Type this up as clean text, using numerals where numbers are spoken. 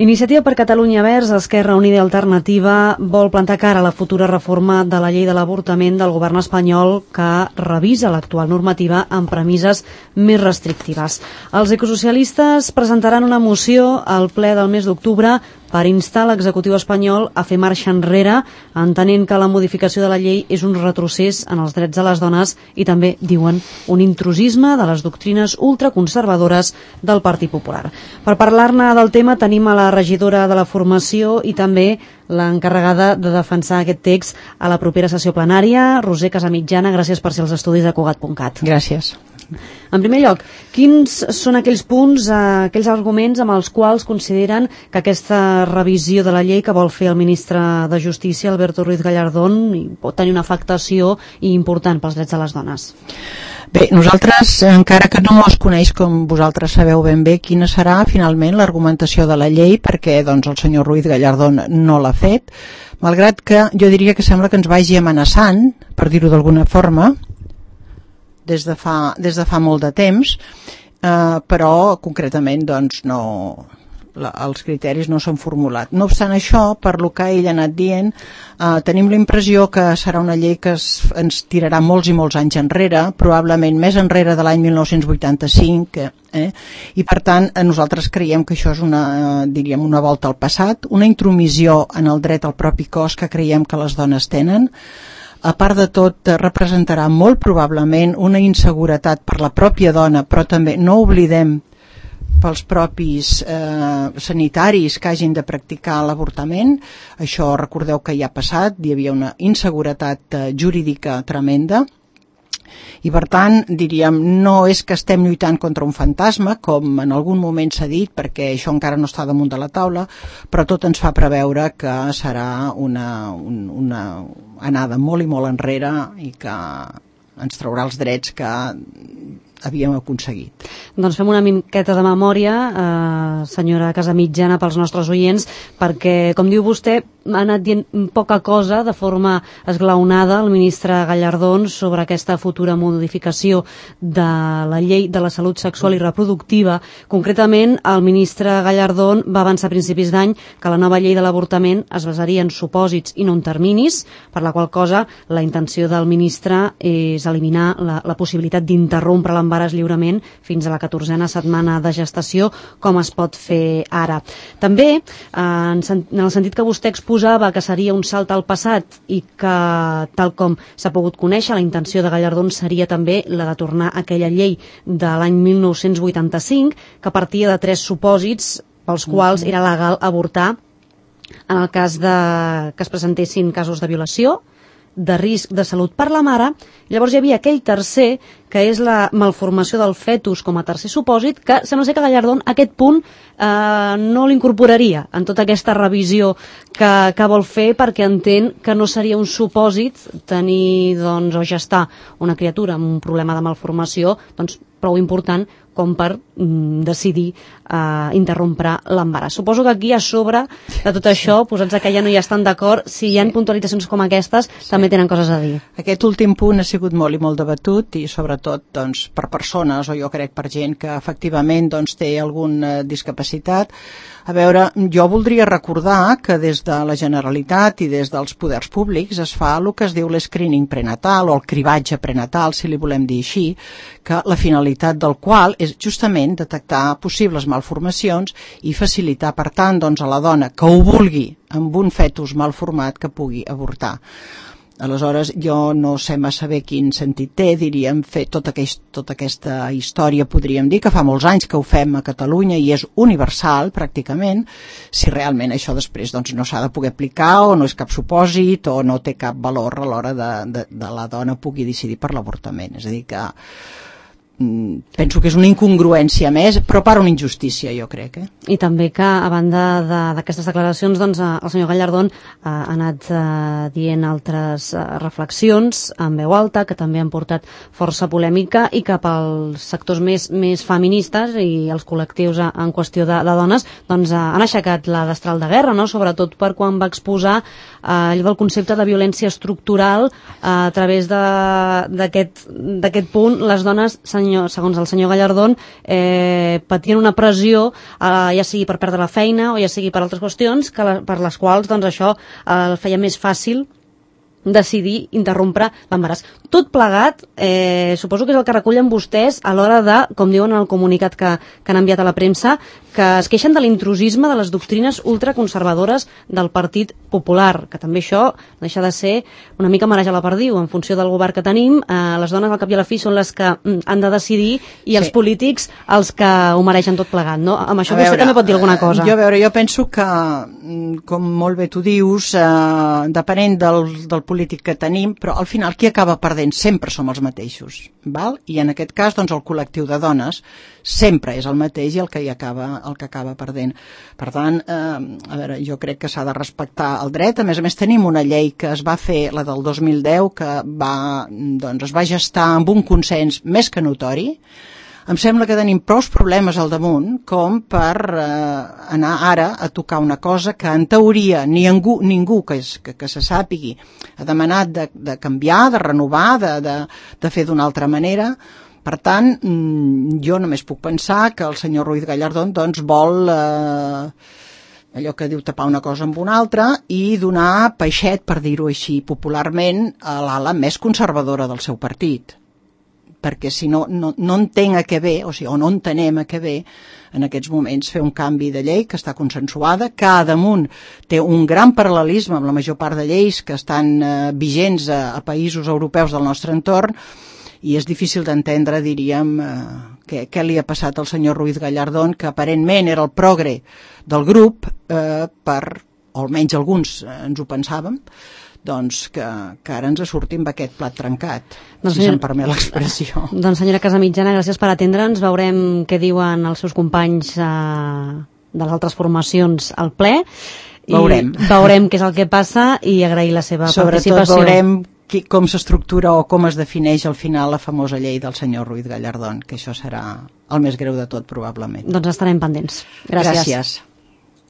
Iniciativa per Catalunya Verds, Esquerra Unida i Alternativa vol plantar cara a la futura reforma de la llei de l'avortament del govern espanyol que revisa l'actual normativa amb premisses més restrictives. Els ecosocialistes presentaran una moció al ple del mes d'octubre per instar l'executiu espanyol a fer marxa enrere, entenent que la modificació de la llei és un retrocés en els drets de les dones i també, diuen, un intrusisme de les doctrines ultraconservadores del Partit Popular. Per parlar-ne del tema tenim a la regidora de la formació i també l'encarregada de defensar aquest text a la propera sessió plenària, Roser Casamitjana. Gràcies per ser als estudis de Cugat.cat. Gràcies. En primer lloc, quins són aquells punts, aquells arguments amb els quals consideren que aquesta revisió de la llei que vol fer el ministre de Justícia, Alberto Ruiz Gallardón, pot tenir una afectació important pels drets de les dones? Bé, nosaltres, encara que no es coneix, com vosaltres sabeu ben bé, quina serà finalment l'argumentació de la llei, perquè doncs, el senyor Ruiz Gallardón no l'ha fet, malgrat que jo diria que sembla que ens vagi amenaçant, per dir-ho d'alguna forma, des de fa molt de temps, però concretament doncs, els criteris no s'han formulat. No obstant això, per lo que ell ha anat dient, tenim la impressió que serà una llei que ens tirarà molts i molts anys enrere, probablement més enrere de l'any 1985, i per tant nosaltres creiem que això és una volta al passat, una intromissió en el dret al propi cos que creiem que les dones tenen. A part de tot, representarà molt probablement una inseguretat per la pròpia dona, però també no oblidem pels propis sanitaris que hagin de practicar l'avortament. Això recordeu que ja ha passat, hi havia una inseguretat jurídica tremenda. I per tant, diríem, no és que estem lluitant contra un fantasma, com en algun moment s'ha dit, perquè això encara no està damunt de la taula, però tot ens fa preveure que serà una anada molt i molt enrere i que ens traurà els drets que havíem aconseguit. Doncs fem una miqueta de memòria, senyora Casamitjana, pels nostres oients, perquè, com diu vostè, ha anat dient poca cosa de forma esglaonada el ministre Gallardón sobre aquesta futura modificació de la llei de la salut sexual i reproductiva. Concretament, el ministre Gallardón va avançar a principis d'any que la nova llei de l'avortament es basaria en supòsits i no en terminis, per la qual cosa la intenció del ministre és eliminar la possibilitat d'interrompre l'embaràs lliurement fins a la 14a setmana de gestació, com es pot fer ara. També, en el sentit que vostè exposava que seria un salt al passat i que, tal com s'ha pogut conèixer, la intenció de Gallardón seria també la de tornar a aquella llei de l'any 1985, que partia de 3 supòsits pels quals era legal avortar en el cas que es presentessin casos de violació, de risc de salut per la mare. Llavors hi havia aquell tercer, que és la malformació del fetus com a tercer supòsit, que sembla ser que Gallardón aquest punt no l'incorporaria en tota aquesta revisió que vol fer, perquè entén que no seria un supòsit tenir o gestar una criatura amb un problema de malformació prou important com per decidir interrompre l'embaràs. Suposo que aquí a sobre de tot això, posats que ja no hi estan d'acord, si hi ha puntualitzacions com aquestes, també tenen coses a dir. Aquest últim punt ha sigut molt i molt debatut, i sobretot per persones, o jo crec per gent que efectivament té alguna discapacitat. A veure, jo voldria recordar que des de la Generalitat i des dels poders públics es fa el que es diu l'escreening prenatal, o el cribatge prenatal, si li volem dir així, que la finalitat del qual és justament detectar possibles malformacions i facilitar, per tant, a la dona que ho vulgui amb un fetus malformat que pugui avortar. Aleshores, jo no sé massa bé quin sentit té, diríem, fer tota aquesta història, podríem dir que fa molts anys que ho fem a Catalunya i és universal, pràcticament, si realment això després no s'ha de poder aplicar o no és cap supòsit o no té cap valor a l'hora de la dona pugui decidir per l'avortament. És a dir que penso que és una incongruència més, però per una injustícia, jo crec. I també que, a banda d'aquestes declaracions, el senyor Gallardón ha anat dient altres reflexions en veu alta, que també han portat força polèmica i que pels sectors més feministes i els col·lectius en qüestió de dones han aixecat la destral de guerra, sobretot per quan va exposar allò del concepte de violència estructural. A través d'aquest punt, les dones s'han segons el senyor Gallardón, patien una pressió, ja sigui per perdre la feina o ja sigui per altres qüestions, per les quals doncs, això el feia més fàcil decidir interrompre l'embaràs. Tot plegat, suposo que és el que recullen vostès a l'hora de, com diuen en el comunicat que han enviat a la premsa, que es queixen de l'intrusisme de les doctrines ultraconservadores del Partit Popular, que també això deixa de ser una mica marejar la perdiu. En funció del govern que tenim, les dones al cap i a la fi són les que han de decidir i els polítics els que ho mereixen tot plegat, no? Amb això vostè també pot dir alguna cosa. Jo penso que, com molt bé tu dius, depenent del polític que tenim, però al final qui acaba perdent sempre som els mateixos, val? I en aquest cas doncs el col·lectiu de dones sempre és el mateix i el que acaba perdent. Per tant, jo crec que s'ha de respectar el dret. A més tenim una llei que es va fer, la del 2010, que es va gestar amb un consens més que notori. Em sembla que tenim prou problemes al damunt com per anar ara a tocar una cosa que en teoria ningú que se sàpigui ha demanat de canviar, de renovar, de fer d'una altra manera. Per tant, jo només puc pensar que el senyor Ruiz Gallardón doncs, vol allò que diu tapar una cosa amb una altra i donar peixet, per dir-ho així popularment, a l'ala més conservadora del seu partit. Perquè si no entenc a què ve, o no entenem a què ve en aquests moments fer un canvi de llei que està consensuada, que a damunt té un gran paral·lelisme amb la major part de lleis que estan vigents a països europeus del nostre entorn, i és difícil d'entendre, diríem, què li ha passat al senyor Ruiz Gallardón, que aparentment era el progre del grup, o almenys alguns ens ho pensàvem, doncs que ara ens sortim amb aquest plat trencat, si se'm permet l'expressió. Doncs senyora Casamitjana, gràcies per atendre'ns. Veurem què diuen els seus companys de les altres formacions al ple. Veurem què és el que passa i agrair la seva participació. Sobretot veurem com s'estructura o com es defineix al final la famosa llei del senyor Ruiz Gallardón, que això serà el més greu de tot probablement. Doncs estarem pendents. Gràcies.